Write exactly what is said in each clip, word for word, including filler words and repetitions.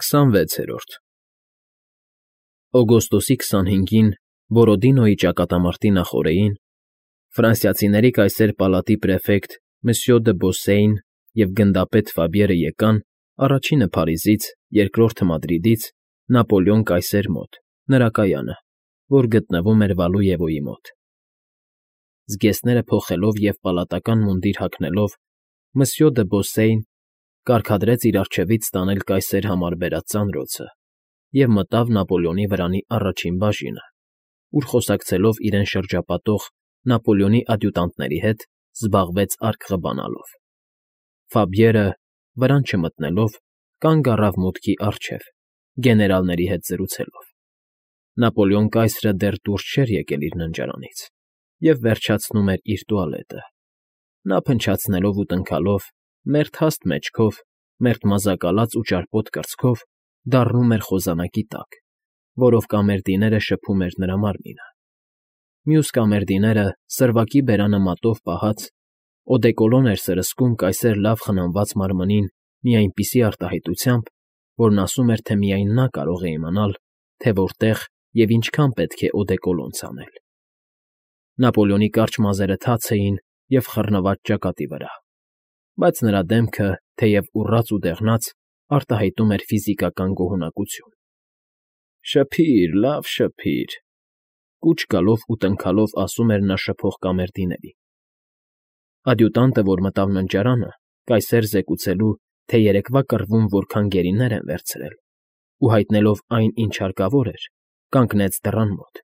քսանվեցերորդ Օգոստոսի քսանհինգին Բորոդինոյի ճակատամարտի նախօրեին ֆրանսիացիների կայսեր պալատի պրեֆեկտ Մսյո դը Բոսեին և գնդապետ Ֆաբիերը եկան առաջինը Փարիզից, երկրորդը Մադրիդից Նապոլեոն կայսեր մոտ, նրա կայանը, որ գտնվում էր Վալուևոյի մոտ։ Զգեստները փոխելով և պալատական մունդիր հագնելով՝ Մսյո դը Բոսեին կարգադրեց իր առջևից տանել կայսեր համար բերած ծանրոցը և մտավ Նապոլեոնի վրանի առաջին բաժինը, ուր խոսակցելով իրեն շրջապատող Նապոլեոնի ադյուտանտների հետ զբաղվեց արքղը բանալով։ Ֆաբիերը, վրան չմտնելով, կանգ առավ մուտքի առջև, գեներալների հետ զրուցելով։ Նապոլեոն կայսրը դեռ դուրս չէր եկել իր ննջարանից և վերջացնում էր իր տուալետը։ Նա փնչացնելով ու տնքալով, մերթ հաստ մեջքով, մերթ մազակալած ու ճարպոտ կրծքով դառնում էր խոզանակի տակ, որով կամերդիները շփում էր նրա մարմինը։ Մյուս կամերդիները, սրվակի բերանը մատով պահած, օդեկոլոն էր սրսկում կայսեր լավ խնամված մարմնին մի այնպիսի արտահայտությամբ, որն ասում էր, թե միայն նա կարող է իմանալ, թե որտեղ և ինչքան պետք է օդեկոլոն ցանել։ Նապոլեոնի կարճ մազերը թաց էին և խռնված ճակատի վրա, բայց նրա դեմքը, թեև ուռած ու դեղնած, արտահայտում էր ֆիզիկական գոհունակություն։ «Շփի՛ր, լավ շփի՛ր,֊ կուչ գալով ու տնքալով ասում էր նա շփող կամերդիներին»։ Ադյուտանտը, որ մտավ ննջարանը, կայսեր զեկուցելու, թե երեկվա կռվում որքան գերիներ են վերցրել, ու հայտնելով այն, ինչ հարկավոր էր, կանգնեց դռան մոտ,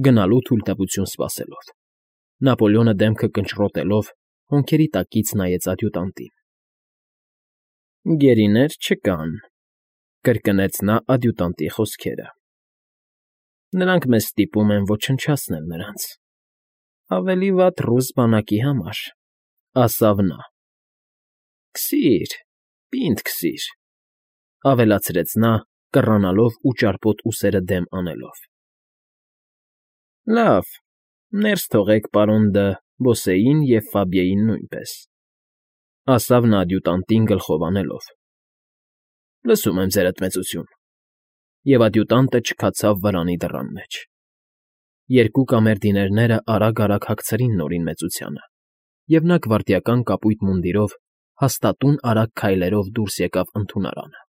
գնալու թույլտվություն սպասելով։ Նապոլեոնը դեմքը կնճռոտելով հոնքերի տակից նայեց ադյուտանտին։ ֊ Գերիներ չկան,֊ կրկնեց նա ադյուտանտի խոսքերը։ ֊ Նրանք մեզ ստիպում են ոչնչացնել նրանց։ Ավելի վատ ռուս բանակի համար,֊ ասավ նա։ ֊ Քսի՛ր, պինդ քսիր,֊ ավելացրեց նա, կռանալով ու ճարպոտ ուսերը դեմ անելով։ ֊ Լավ, ներս թողեք պարոն դը Բոսեին և Ֆաբիեին նույնպես,֊ ասավ նա ադյուտանտին գլխով անելով։ ֊ Լսում եմ, ձերդ մեծություն,֊ և ադյուտանտը չքացավ վրանի դռան մեջ։ Երկու կամերդիներները արագ֊արագ հագցրին նորին մեծությանը, և նա գվարդիական կապույտ մունդիրով հաստատուն արագ քայլերով դուրս եկավ ընդունարանը։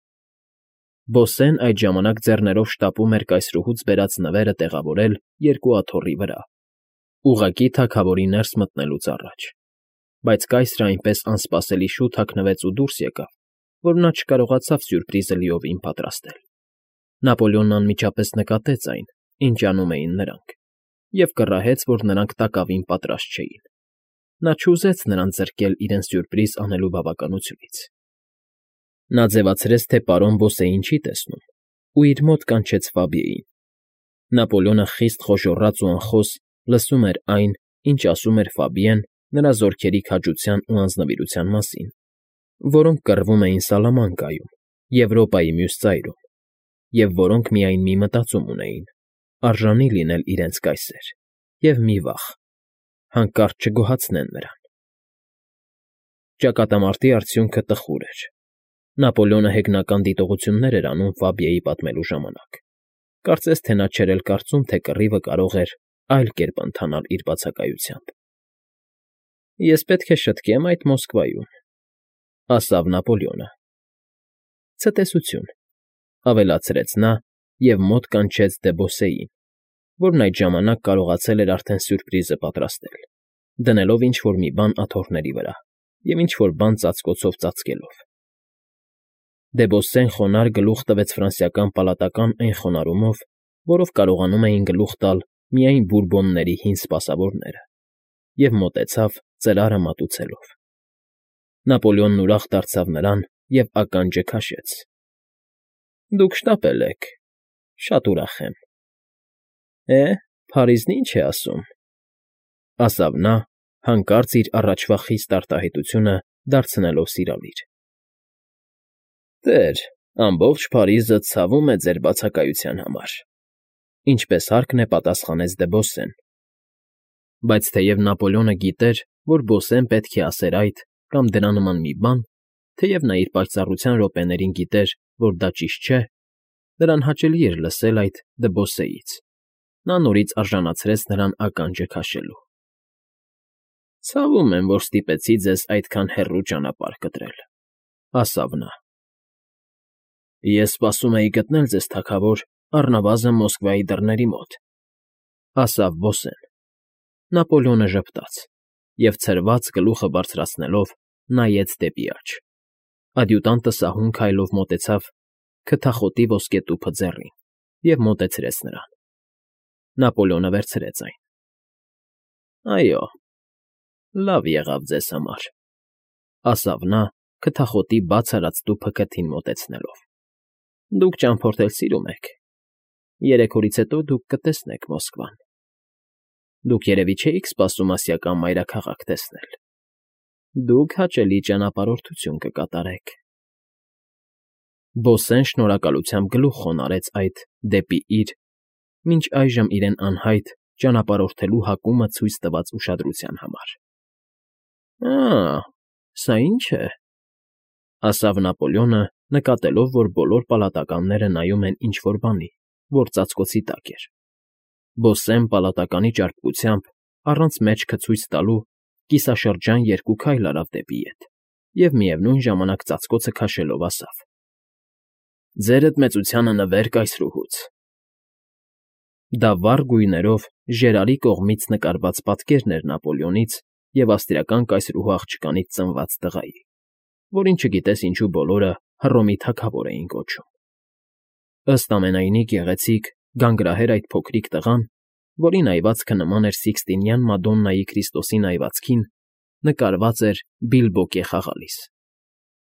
Բոսեն այդ ժամանակ ձեռներով շտապում էր կայսրուհուց բերած նվերը տեղավորել երկու աթոռի վրա, ուղղակի թագավորի ներս մտնելուց առաջ, բայց կայսրը այնպես անսպասելի շուտ հագնվեց ու դուրս եկավ, որ նա չկարողացավ սյուրպրիզը լիովին պատրաստել։ Նապոլեոնն անմիջապես նկատեց այն, ինչ անում էին նրանք, և կռահեց, որ նրանք տակավին պատրաստ չէին։ Նա չուզեց նրանց զրկել իրեն սյուրպրիզ անելու բավականությունից։ Նա ձևացրեց, թե պարոն Բոսեին չի տեսնում, ու իր մոտ կանչեց Ֆաբիեին։ Նապոլեոնը խիստ խոժոռաց ու անխոս լսում էր այն, ինչ ասում էր Ֆաբիեն նրա զորքերի քաջության ու անձնվիրության մասին, որոնք կռվում էին Սալամանկայում, Եվրոպայի մյուս ծայրում, և որոնք միայն մի մտածում ունեին՝ արժանի լինել իրենց կայսեր, և մի վախ՝ հանկարծ չգոհացնեն նրան։ Ճակատամարտի արդյունքը տխուր էր։ Նապոլեոնը հեգնական դիտողություններ էր անում Ֆաբիեի պատմելու ժամանակ։ Կարծես թե նա չէր էլ կարծում, թե կռիվը կարող էր այլ կերպ ընթանալ իր բացակայությամբ։ «Ես պետք է շտկեմ այդ Մոսկվայում,֊ ասավ Նապոլեոնը։ ֊ Ցտեսություն,֊ ավելացրեց նա և մոտ կանչեց դը Բոսեին, որն այդ ժամանակ կարողացել էր արդեն սյուրպրիզը պատրաստել, դնելով ինչ֊որ մի բան աթոռների վրա և ինչ֊որ բան ծածկոցով ծածկելով։ Դե Բոսեն խոնարհ գլուխ տվեց ֆրանսիական պալատական այն խոնարհումով, որով կարողանում էին գլուխ տալ միայն Բուրբոնների հին սպասավորները, և մոտեցավ, ծրարը մատուցելով։ Նապոլեոնն ուրախ դարձավ նրան և ականջը քաշեց։ ֊ Դուք շտապել եք, շատ ուրախ եմ։ ֊ Է, Փարիզն ինչ է ասում,֊ ասավ նա, հանկարծ իր առաջվա խիստ արտահայտությունը դարձնելով սիրալիր։ ֊ Տեր, ամբողջ Փարիզը ցավում է ձեր բացակայության համար,֊ ինչպես հարկն է պատասխանեց դը Բոսեն։ Բայց թեև Նապոլեոնը գիտեր, որ Բոսեն պետք է ասեր այդ կամ դրա նման մի բան, թեև նա իր պայծառության րոպեներին գիտեր, որ դա ճիշտ չէ, նրան հաճելի էր լսել այդ դբոսեից. նա նորից արժանացրեց նրան ականջը քաշելու։ ֊ Ցավում եմ, որ ստիպեցի ձեզ այդքան հեռու ճանապարհ կտրել,֊ ասավ նա։ ֊ Ես սպասում էի գտնել ձեզ, թագավոր, առնվազն Մոսկվայի դռների մոտ,֊ ասավ բոսեն։ Նապոլեոնը ժպտաց և, ցրված գլուխը բարձրացնելով, նայեց դեպի աջ։ Ադյուտանտը սահուն քայլով մոտեցավ քթախոտի ոսկետուփը ձեռին և մոտեցրեց նրան։ Նապոլեոնը վերցրեց այն։ ֊ Այո, լավ եղավ ձեզ համար,֊ ասավ նա, քթախոտի բաց արած տուփը քթին մոտեցնելով։ ֊ Դուք ճամփորդել սիրում եք։ Երեք օրից հետո դուք կտեսնեք Մոսկվան։ Դուք երևի չէիք սպասում ասիական մայրաքաղաք տեսնել։ Դուք հաճելի ճանապարհորդություն կկատարեք։ Բոսեն շնորհակալությամբ գլուխ խոնարհեց այդ դեպի իր, մինչ այժմ իրեն անհայտ, ճանապարհորդելու հակումը ցույց տված ուշադրության համար։ ֊ Ա՜, սա ի՞նչ է,֊ ասավ Նապոլեոնը, նկատելով, որ բոլոր պալատականները նայում են ինչ֊որ բանի, որ ծածկոցի տակ էր։ Բոսեն պալատականի ճարպկությամբ, առանց մեջքը ցույց տալու, կիսաշրջան երկու քայլ արավ դեպի ետ և միևնույն ժամանակ ծածկոցը քաշելով ասավ. ֊ Ձերդ մեծությանը նվեր կայսրուհուց… Դա վառ գույներով ժերարի կողմից նկարված պատկերն էր Նապոլեոնից և ավստրիական կայսրուհու աղջկանից ծնված տղայի, որին չգիտես ինչու բոլորը Հռոմի թագավոր էին կոչում։ Ըստ ամենայնի գեղեցիկ, գանգրահեր այդ փոքրիկ տղան, որի նայվածքը նման էր Սիքստինյան Մադոննայի Քրիստոսի նայվածքին, նկարված էր բիլբոկե խաղալիս։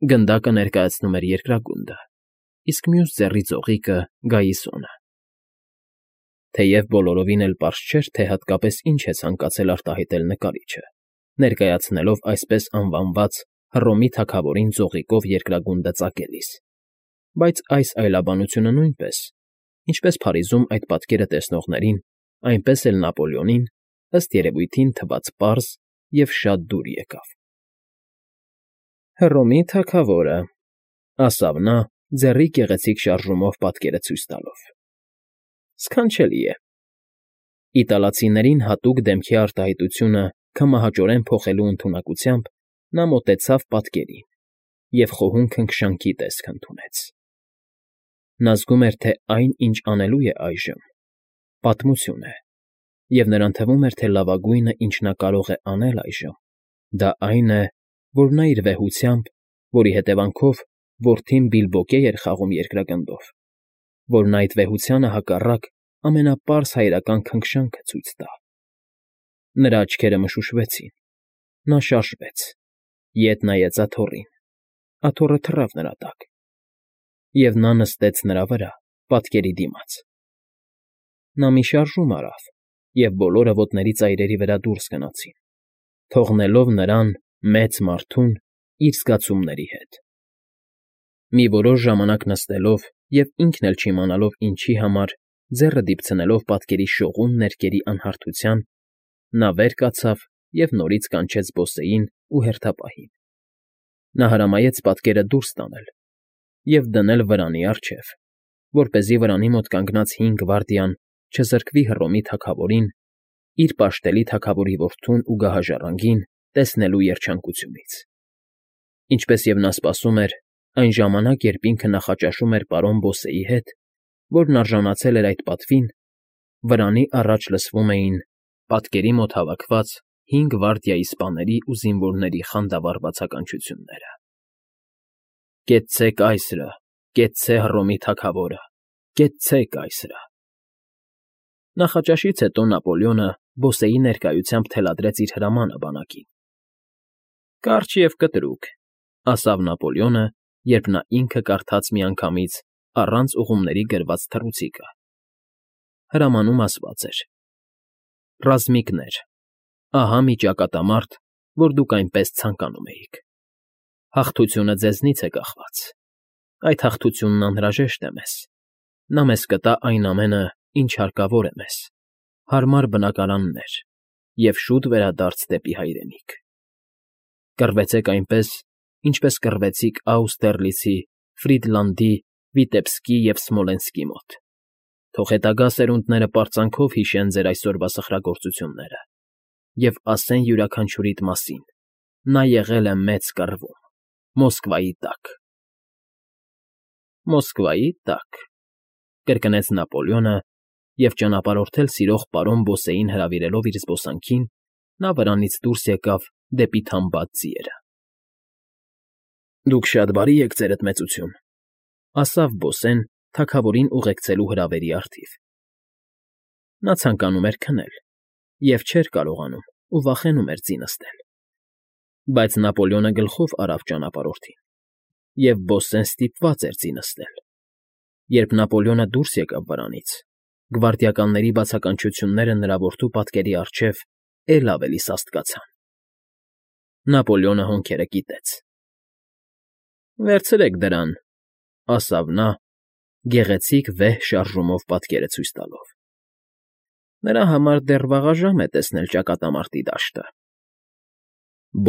Գնդակը ներկայացնում էր երկրագունդը, իսկ մյուս ձեռի ծողիկը՝ գայիսոնը։ Թեև բոլորովին էլ պարզ չէր, թե հատկապես ինչ է ցանկացել արտահայտել նկարիչը, ներկայացնելով այսպես անվանված Հռոմի թագավորին ծողիկով երկրագունդը ծակելիս, բայց այս այլաբանությունը նույնպես, ինչպես Փարիզում այդ պատկերը տեսնողներին, այնպես էլ Նապոլեոնին, ըստ երևույթին, թվաց պարզ և շատ դուր եկավ։ ֊ Հռոմի թագավորը,֊ ասավ նա, ձեռի գեղեցիկ շարժումով պատկերը ցույց տալով,֊ սքանչելի է։ Իտալացիներին հատուկ դեմքի արտահայտությունը քմահաճորեն փոխելու ընդունակությամբ նա մոտեցավ պատկերին և խոհուն քնքշանքի տեսք ընդունեց։ Նա զգում էր, թե այն, ինչ անելու է այժմ, պատմություն է, և նրան թվում էր, թե լավագույնը, ինչ նա կարող է անել այժմ, դա այն է, որ նա իր վեհությամբ, որի հետևանքով որդին բիլբոկե էր խաղում երկրագնդով, որ նա այդ վեհությանը հակառակ ամենապարզ հայրական քնքշանքը ցույց տա։ Նրա աչքերը մշուշվեցին, նա շարժվեց, ետ նայեց աթոռին, աթոռը թռավ նրա տակ, և նա նստեց նրա վրա, պատկերի դիմաց։ Նա մի շարժում արավ, և բոլորը ոտների ծայրերի վրա դուրս գնացին, թողնելով նրան՝ մեծ մարդուն, իր զգացումների հետ։ Մի որոշ ժամանակ նստելով և ինքն էլ չիմանալով ինչի համար, ձեռը դիպցնելով պատկերի շողուն ներկերի անհարթության, նա վեր կացավ և նորից կանչեց բոսեին ու հերթապահին։ Նա հրամայեց պատկերը դուրս տանել և դնել վրանի առջև, որպեսզի վրանի մոտ կանգնած հին գվարդիան չզրկվի Հռոմի թագավորին, իր պաշտելի թագավորի որդուն ու գահաժառանգին տեսնելու երջանկությունից։ Ինչպես և նա սպասում էր, այն ժամանակ, երբ ինքը նախաճաշում էր պարոն Բոսեի հետ, որն արժանացել էր այդ պատվին, վրանի առաջ լսվում էին պատկերի մոտ հավաքված հին գվարդիայի սպաների ու զինվորների խանդավառ բացականչությունները. «Կեցցե կայսրը, կեցցե Հռոմի թագավորը, կեցցե կայսրը»։ Նախաճաշից հետո Նապոլեոնը Բոսեի ներկայությամբ թելադրեց իր հրամանը բանակին։ «Կարճ և կտրուկ,֊ ասավ Նապոլեոնը, երբ նա ինքը կարդաց միանգամից առանց ուղումների գրված թռուցիկը։ Հրամանում ասված էր. «Ռազմիկներ, ահա մի ճակատամարտ, որ դուք այնպես ցանկանում էիք։ Հաղթությունը ձեզնից է կախված։ Այդ հաղթությունն անհրաժեշտ է մեզ։ Նա մեզ կտա այն ամենը, ինչ հարկավոր է մեզ՝ հարմար բնակարաններ և շուտ վերադարձ դեպի հայրենիք։ Կռվեցեք այնպես, ինչպես կռվեցիք Աուստերլիցի, Ֆրիդլանդի Վիտեբսկի և Սմոլենսկի մոտ։ Թող հետագա սերունդները պարծանքով հիշեն ձեր այսօրվա սխրագործությունները և ասեն յուրաքանչյուրիդ մասին. նա եղել է մեծ կռվում, Մոսկվայի տակ։ ֊ Մոսկվայի տակ,֊ կրկնեց Նապոլեոնը, և ճանապարհորդել սիրող պարոն Բոսեին հրավիրելով իր զբոսանքին, նա վրանից դուրս եկավ դեպի թամբած ձիերը։ ֊ Դուք շատ բարի եք, ձերդ մեծություն,֊ ասավ Բոսեն թագավորին ուղեկցելու հրավերի առթիվ։ Նա ցանկանում էր քնել և չէր կարողանում ու վախենում էր ձի նստել։ Բայց Նապոլեոնը գլխով արավ ճանապարհորդին, և Բոսեն ստիպված էր ձի նստել։ Երբ Նապոլեոնը դուրս եկավ վրանից, գվարդիականների բացականչությունները նրա որդու պատկերի առջև էլ ավելի սաստկացան։ Նապոլեոնը հոնքերը կիտեց։ ֊ Վերցրեք դրան,֊ ասավ նա՝ գեղեցիկ վեհ շարժումով պատկերը ցույց տալով։ Նրա համար դեռ վաղաժամ է տեսնել ճակատամարտի դաշտը։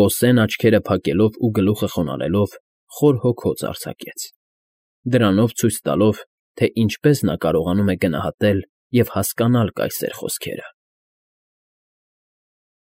Բոսեն աչքերը փակելով ու գլուխը խոնարհելով խոր հոգոց արձակեց, դրանով ցույց տալով, թե ինչպես նա կարողանում է գնահատել և հասկանալ կայսեր խոսքերը։